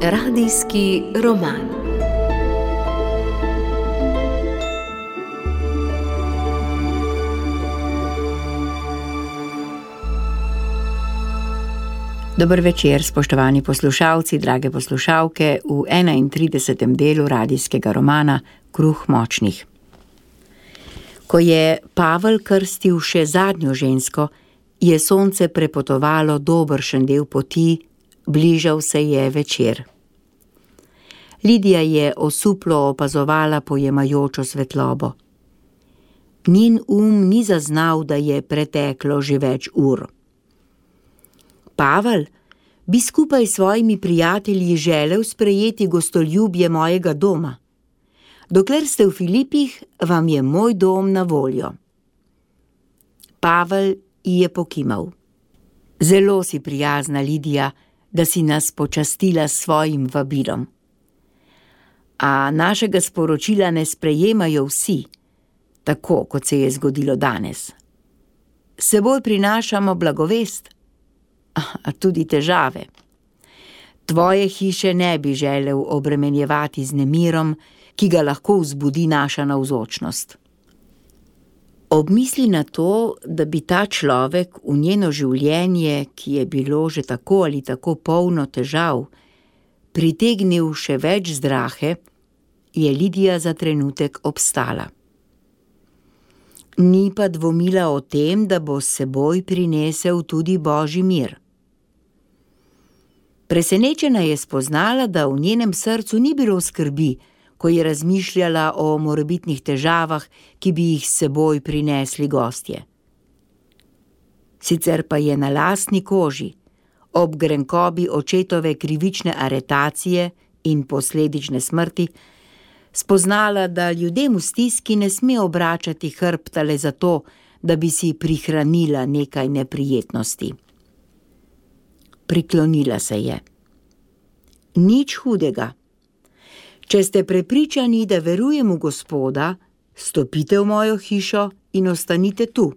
Radijski roman. Dober večer, spoštovani poslušalci, drage poslušalke, v 31. delu radijskega romana Kruh močnih. Ko je Pavel krstil še zadnjo žensko, je sonce prepotovalo dobršen del poti, bližal se je večer. Lidija je osuplo opazovala pojemajočo svetlobo. Njen ni zaznal, da je preteklo že več ur. Pavel, bi skupaj s svojimi prijatelji želel sprejeti gostoljubje mojega doma. Dokler ste v Filipih, vam je moj dom na voljo. Pavel ji je pokimal. Zelo si prijazna, Lidija, da si nas počastila s svojim vabilom. A našega sporočila ne sprejemajo vsi, tako kot se je zgodilo danes. S seboj prinašamo blagovest, a tudi težave. Tvoje hiše ne bi želel obremenjevati z nemirom, ki ga lahko vzbudi naša navzočnost. Ob misli na to, da bi ta človek v njeno življenje, ki je bilo že tako ali tako polno težav, pritegnil še več zdrahe, je Lidija za trenutek obstala. Ni pa dvomila o tem, da bo s seboj prinesel tudi Božji mir. Presenečena je spoznala, da v njenem srcu ni bilo skrbi, ko je razmišljala o morebitnih težavah, ki bi jih s seboj prinesli gostje. Sicer pa je na lastni koži, ob grenkobi očetove krivične aretacije in posledične smrti, spoznala, da ljudem v stiski ne sme obračati hrbta le zato, da bi si prihranila nekaj neprijetnosti. Priklonila se je. Nič hudega. Če ste prepričani, da verujem v Gospoda, stopite v mojo hišo in ostanite tu.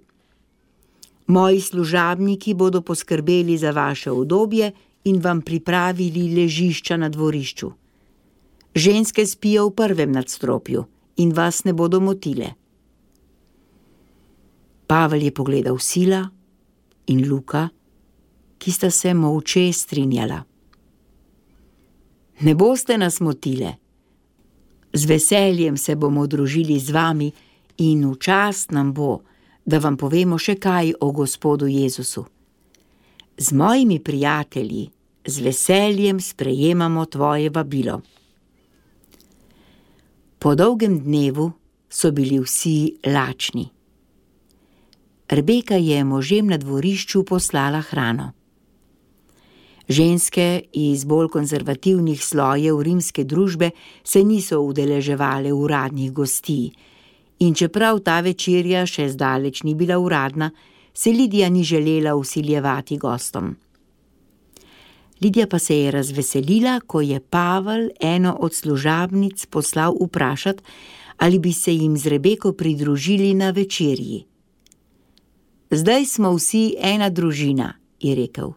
Moji služabniki bodo poskrbeli za vaše udobje in vam pripravili ležišča na dvorišču. Ženske spijo v prvem nadstropju in vas ne bodo motile. Pavel je pogledal Sila in Luka, ki sta se molče strinjala. Ne boste nas motile. Z veseljem se bomo družili z vami in v čast nam bo, da vam povemo še kaj o Gospodu Jezusu. Z mojimi prijatelji z veseljem sprejemamo tvoje vabilo. Po dolgem dnevu so bili vsi lačni. Rebeka je možem na dvorišču poslala hrano. Ženske iz bolj konzervativnih slojev rimske družbe se niso udeleževale uradnih gostij in čeprav ta večerja še zdaleč ni bila uradna, se Lidija ni želela vsiljevati gostom. Lidija pa se je razveselila, ko je Pavel eno od služabnic poslal vprašat, ali bi se jim z Rebeko pridružili na večerji. Zdaj smo vsi ena družina, je rekel.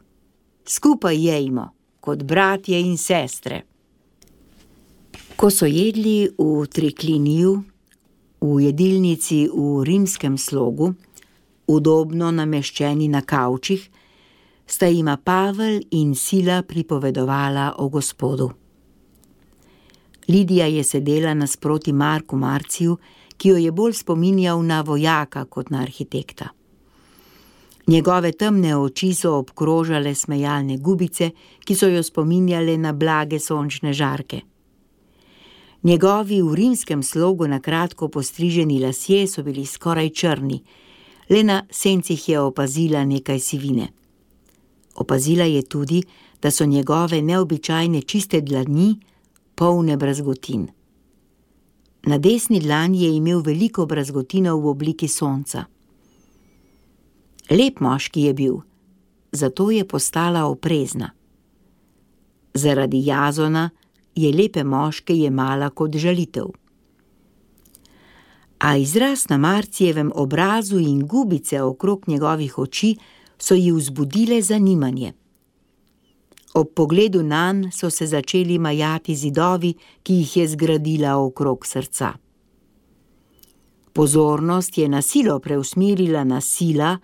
Skupaj jejmo, kot bratje in sestre. Ko so jedli v trikliniju, v jedilnici v rimskem slogu, udobno nameščeni na kavčih, sta jima Pavel in Sila pripovedovala o Gospodu. Lidija je sedela nasproti Marku Marciju, ki jo je bolj spominjal na vojaka kot na arhitekta. Njegove temne oči so obkrožale smejalne gubice, ki so jo spominjale na blage sončne žarke. Njegovi v rimskem slogu na kratko postriženi lasje so bili skoraj črni, le na sencih je opazila nekaj sivine. Opazila je tudi, da so njegove neobičajne čiste dlani polne brazgotin. Na desni dlani je imel veliko brazgotinov v obliki sonca. Lep moški je bil, zato je postala oprezna. Zaradi Jazona je lepe moške jemala kot žalitev. A izraz na Marcijevem obrazu in gubice okrog njegovih oči so ji vzbudile zanimanje. Ob pogledu nanj so se začeli majati zidovi, ki jih je zgradila okrog srca. Pozornost je na silo preusmerila na Sila,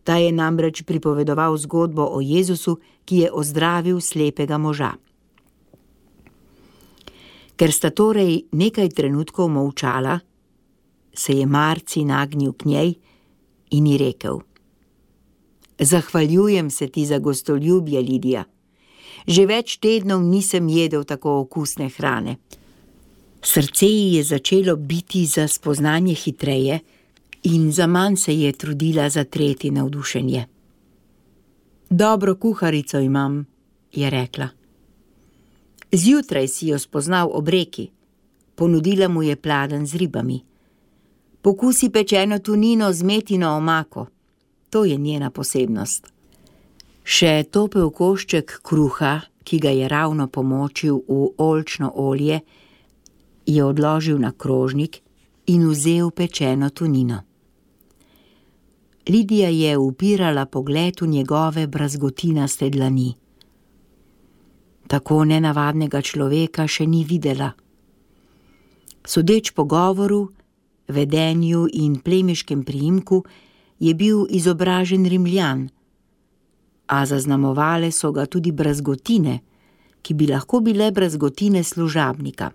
ta je namreč pripovedoval zgodbo o Jezusu, ki je ozdravil slepega moža. Ker sta torej nekaj trenutkov molčala, se je Marci nagnil k njej in ji rekel: Zahvaljujem se ti za gostoljubje, Lidija. Že več tednov nisem jedel tako okusne hrane. Srce ji je začelo biti za spoznanje hitreje in zaman se je trudila zatreti navdušenje. Dobro kuharico imam, je rekla. Zjutraj si jo spoznal ob reki. Ponudila mu je pladenj z ribami. Pokusi pečeno tunino z metino omako. To je njena posebnost. Še topel košček kruha, ki ga je ravno pomočil v oljčno olje, je odložil na krožnik in vzel pečeno tunino. Lidija je upirala pogled v njegove brazgotinaste dlani. Tako nenavadnega človeka še ni videla. Sodeč po govoru, vedenju in plemiškem priimku je bil izobražen Rimljan, a zaznamovale so ga tudi brazgotine, ki bi lahko bile brazgotine služabnika.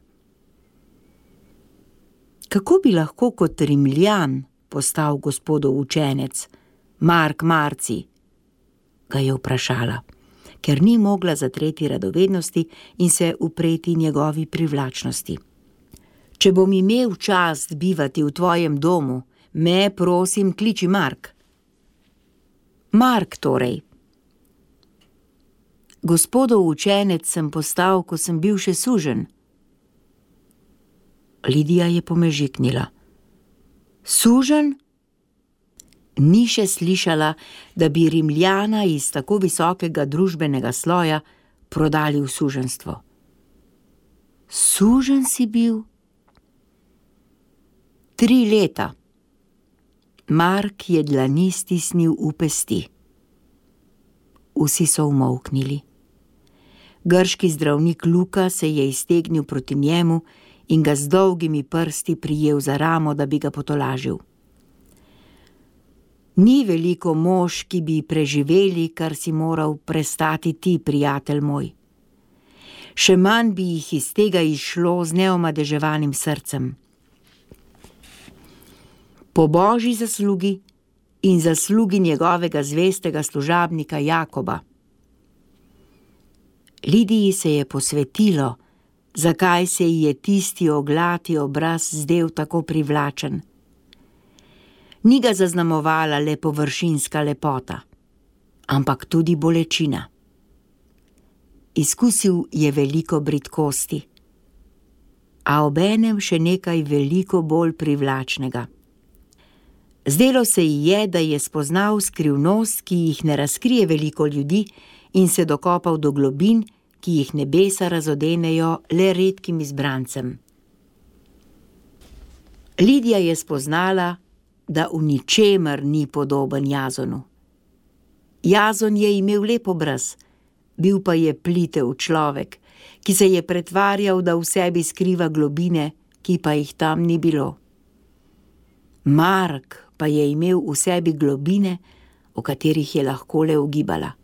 Kako bi lahko kot Rimljan postal gospodov učenec, Mark Marci? Ga je vprašala, ker ni mogla zatreti radovednosti in se upreti njegovi privlačnosti. Če bom imel čast bivati v tvojem domu, me, prosim, kliči Mark. Mark torej. Gospodov učenec sem postal, ko sem bil še suženj. Lidija je pomežiknila. Suženj? Ni še slišala, da bi Rimljana iz tako visokega družbenega sloja prodali v suženjstvo. Suženj si bil? 3 leta. Mark je dlani stisnil v pesti. Vsi so umolknili. Grški zdravnik Luka se je iztegnil proti njemu in ga z dolgimi prsti prijel za ramo, da bi ga potolažil. Ni veliko mož, ki bi preživeli, kar si moral prestati ti, prijatelj moj. Še manj bi jih iz tega izšlo z neomadeževanim srcem. Po Božji zaslugi in zaslugi njegovega zvestega služabnika Jakoba. Lidiji se je posvetilo, zakaj se ji je tisti oglati obraz zdel tako privlačen. Ni ga zaznamovala le površinska lepota, ampak tudi bolečina. Izkusil je veliko bridkosti, a obenem še nekaj veliko bolj privlačnega. Zdelo se ji je, da je spoznal skrivnost, ki jih ne razkrije veliko ljudi, in se dokopal do globin, ki jih nebesa razodenejo le redkim izbrancem. Lidija je spoznala, da v ničemer ni podoben Jazonu. Jazon je imel lep obraz, bil pa je plitev človek, ki se je pretvarjal, da v sebi skriva globine, ki pa jih tam ni bilo. Mark pa je imel v sebi globine, o katerih je lahko le ugibala.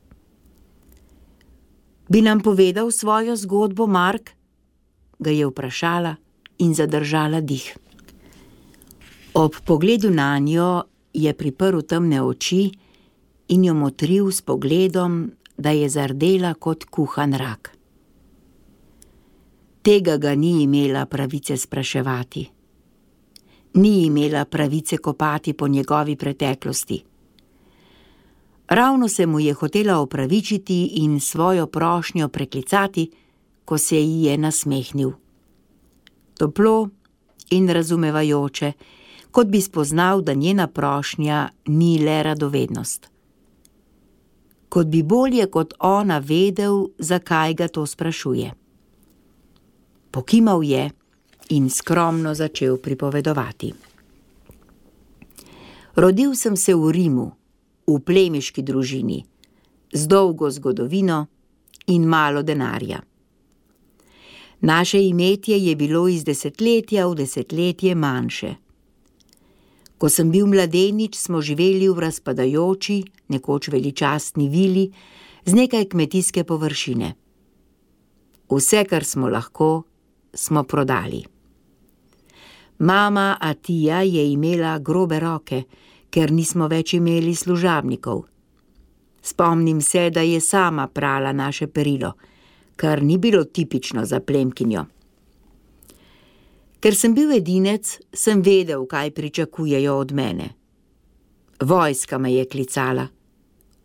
Bi nam povedal svojo zgodbo, Mark? Ga je vprašala in zadržala dih. Ob pogledu nanjo je priprl temne oči in jo motril s pogledom, da je zardela kot kuhan rak. Tega ga ni imela pravice spraševati. Ni imela pravice kopati po njegovi preteklosti. Ravno se mu je hotela opravičiti in svojo prošnjo preklicati, ko se ji je nasmehnil. Toplo in razumevajoče, kot bi spoznal, da njena prošnja ni le radovednost. Kot bi bolje kot ona vedel, zakaj ga to sprašuje. Pokimal je in skromno začel pripovedovati. Rodil sem se v Rimu, v plemiški družini, z dolgo zgodovino in malo denarja. Naše imetje je bilo iz desetletja v desetletje manjše. Ko sem bil mladenič, smo živeli v razpadajoči, nekoč veličastni vili z nekaj kmetijske površine. Vse, kar smo lahko, smo prodali. Mama Atija je imela grobe roke, ker nismo več imeli služabnikov. Spomnim se, da je sama prala naše perilo, kar ni bilo tipično za plemkinjo. Ker sem bil edinec, sem vedel, kaj pričakujejo od mene. Vojska me je klicala,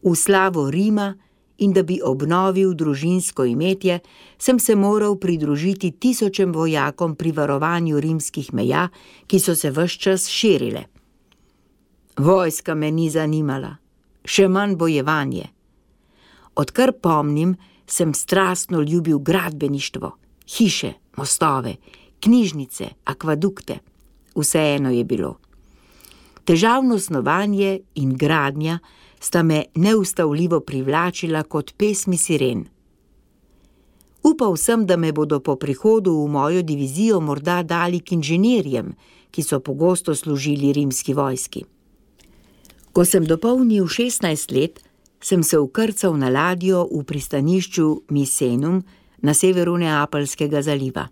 v slavo Rima, in da bi obnovil družinsko imetje, sem se moral pridružiti tisočem vojakom pri varovanju rimskih meja, ki so se ves čas širile. Vojska me ni zanimala, še manj bojevanje. Odkar pomnim, sem strastno ljubil gradbeništvo, hiše, mostove, knjižnice, akvadukte. Vseeno je bilo. Težavno snovanje in gradnja sta me neustavljivo privlačila kot pesmi siren. Upal sem, da me bodo po prihodu v mojo divizijo morda dali k inženirjem, ki so pogosto služili rimski vojski. Ko sem dopolnil 16 let, sem se vkrcal na ladjo v pristanišču Misenum na severu Neapeljskega zaliva.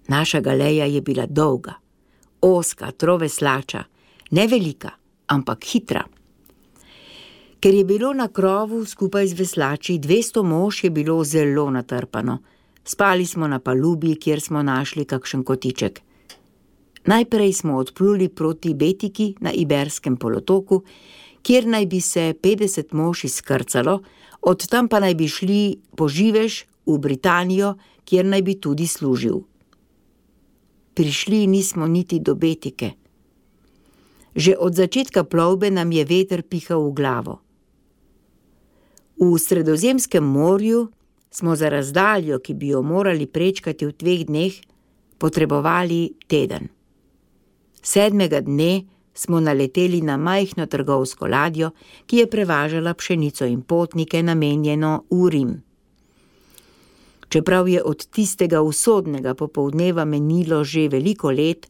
Naša galeja je bila dolga, ozka, troveslača, ne velika, ampak hitra. Ker je bilo na krovu skupaj z veslači 200 mož, je bilo zelo natrpano. Spali smo na palubi, kjer smo našli kakšen kotiček. Najprej smo odpluli proti Betiki na Iberskem polotoku, kjer naj bi se 50 mož izkrcalo, od tam pa naj bi šli po živež v Britanijo, kjer naj bi tudi služil. Prišli nismo niti do Betike. Že od začetka plovbe nam je veter pihal v glavo. V Sredozemskem morju smo za razdaljo, ki bi jo morali prečkati v 2 dneh, potrebovali teden. 7. dne smo naleteli na majhno trgovsko ladjo, ki je prevažala pšenico in potnike namenjeno v Rim. Čeprav je od tistega usodnega popoldneva menilo že veliko let,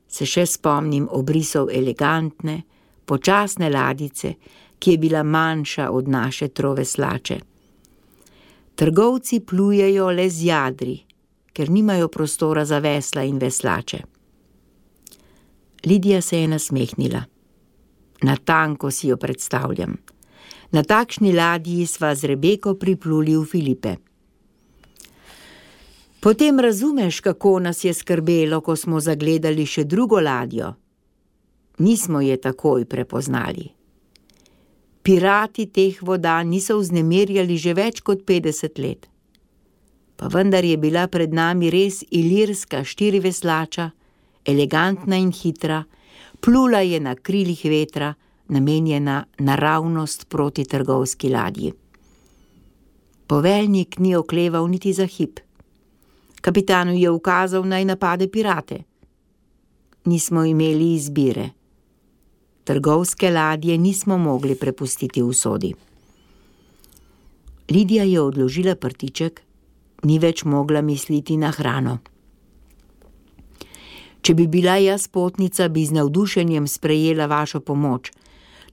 se še spomnim obrisov elegantne, počasne ladjice, ki je bila manjša od naše troveslače. Trgovci plujejo le z jadri, ker nimajo prostora za vesla in veslače. Lidija se je nasmehnila. Natanko si jo predstavljam. Na takšni ladji sva z Rebeko pripluli v Filipe. Potem razumeš, kako nas je skrbelo, ko smo zagledali še drugo ladjo. Nismo je takoj prepoznali. Pirati teh voda niso vznemirjali že več kot 50 let. Pa vendar je bila pred nami res ilirska 4-veslača, elegantna in hitra, plula je na krilih vetra, namenjena naravnost proti trgovski ladji. Poveljnik ni okleval niti za hip. Kapitanu je ukazal, naj napade pirate. Nismo imeli izbire. Trgovske ladje nismo mogli prepustiti usodi. Lidija je odložila prtiček, ni več mogla misliti na hrano. Če bi bila jaz potnica, bi z navdušenjem sprejela vašo pomoč.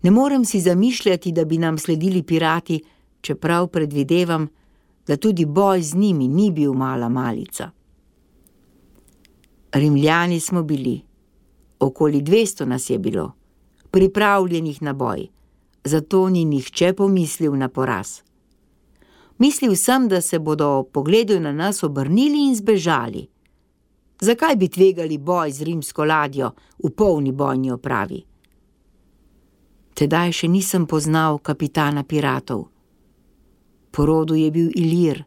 Ne morem si zamišljati, da bi nam sledili pirati, čeprav predvidevam, da tudi boj z njimi ni bil mala malica. Rimljani smo bili. Okoli 200 nas je bilo, pripravljenih na boj, zato ni nihče pomislil na poraz. Mislil sem, da se bodo ob pogledu na nas obrnili in zbežali. Zakaj bi tvegali boj z rimsko ladjo v polni bojni opravi? Tedaj še nisem poznal kapitana piratov. Po rodu je bil Ilir,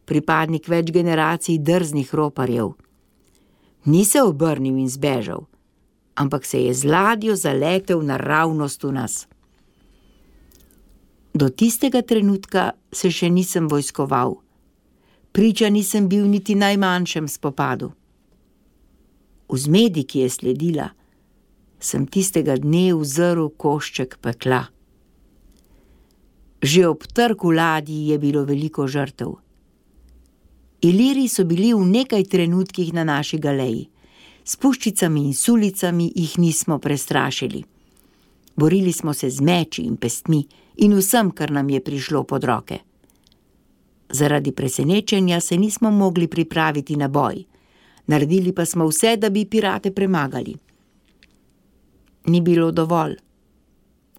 pripadnik več generacij drznih roparjev. Ni se obrnil in zbežal, ampak se je z ladjo zaletel naravnost v nas. Do tistega trenutka se še nisem vojskoval. Priča nisem bil niti najmanjšem spopadu. V zmedi, ki je sledila, sem tistega dne uzrl košček pekla. Že ob trku ladji je bilo veliko žrtev. Iliri so bili v nekaj trenutkih na naši galeji. S puščicami in sulicami jih nismo prestrašili. Borili smo se z meči in pestmi in vsem, kar nam je prišlo pod roke. Zaradi presenečenja se nismo mogli pripraviti na boj. Naredili pa smo vse, da bi pirate premagali. Ni bilo dovolj.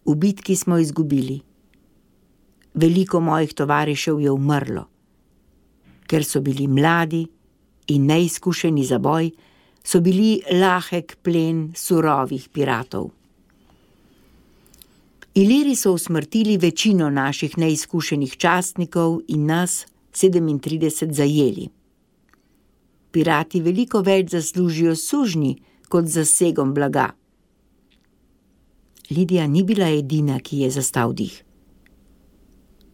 V bitki smo izgubili. Veliko mojih tovarišev je umrlo. Ker so bili mladi in neizkušeni za boj, so bili lahek plen surovih piratov. Iliri so usmrtili večino naših neizkušenih častnikov in nas 37 zajeli. Pirati veliko več zaslužijo sužnji kot z zasegom blaga. Lidija ni bila edina, ki je zastal dih.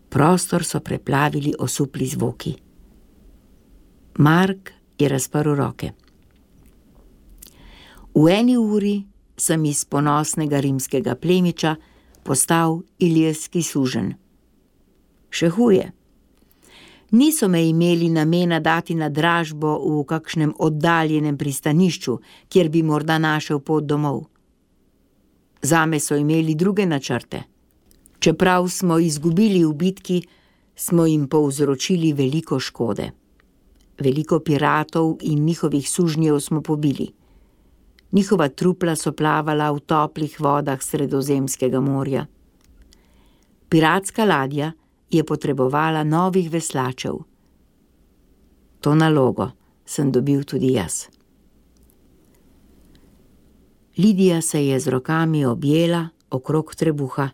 Prostor so preplavili osupli zvoki. Mark je razprl roke. V 1 uri sem iz ponosnega rimskega plemiča postal ilirski suženj. Še huje. Niso me imeli namena dati na dražbo v kakšnem oddaljenem pristanišču, kjer bi morda našel pot domov. Zame so imeli druge načrte. Čeprav smo izgubili v bitki, smo jim povzročili veliko škode. Veliko piratov in njihovih sužnjev smo pobili. Njihova trupla so plavala v toplih vodah Sredozemskega morja. Piratska ladja je potrebovala novih veslačev. To nalogo sem dobil tudi jaz. Lidija se je z rokami objela okrog trebuha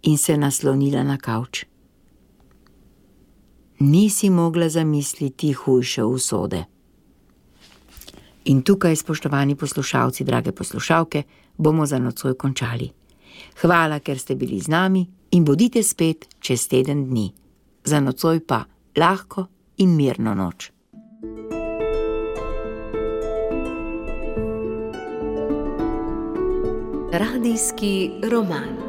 in se naslonila na kavč. Nisi mogla zamisliti hujše usode. In tukaj, spoštovani poslušalci, drage poslušalke, bomo za nocoj končali. Hvala, ker ste bili z nami in bodite spet čez teden dni. Za nocoj pa lahko in mirno noč. Radijski roman.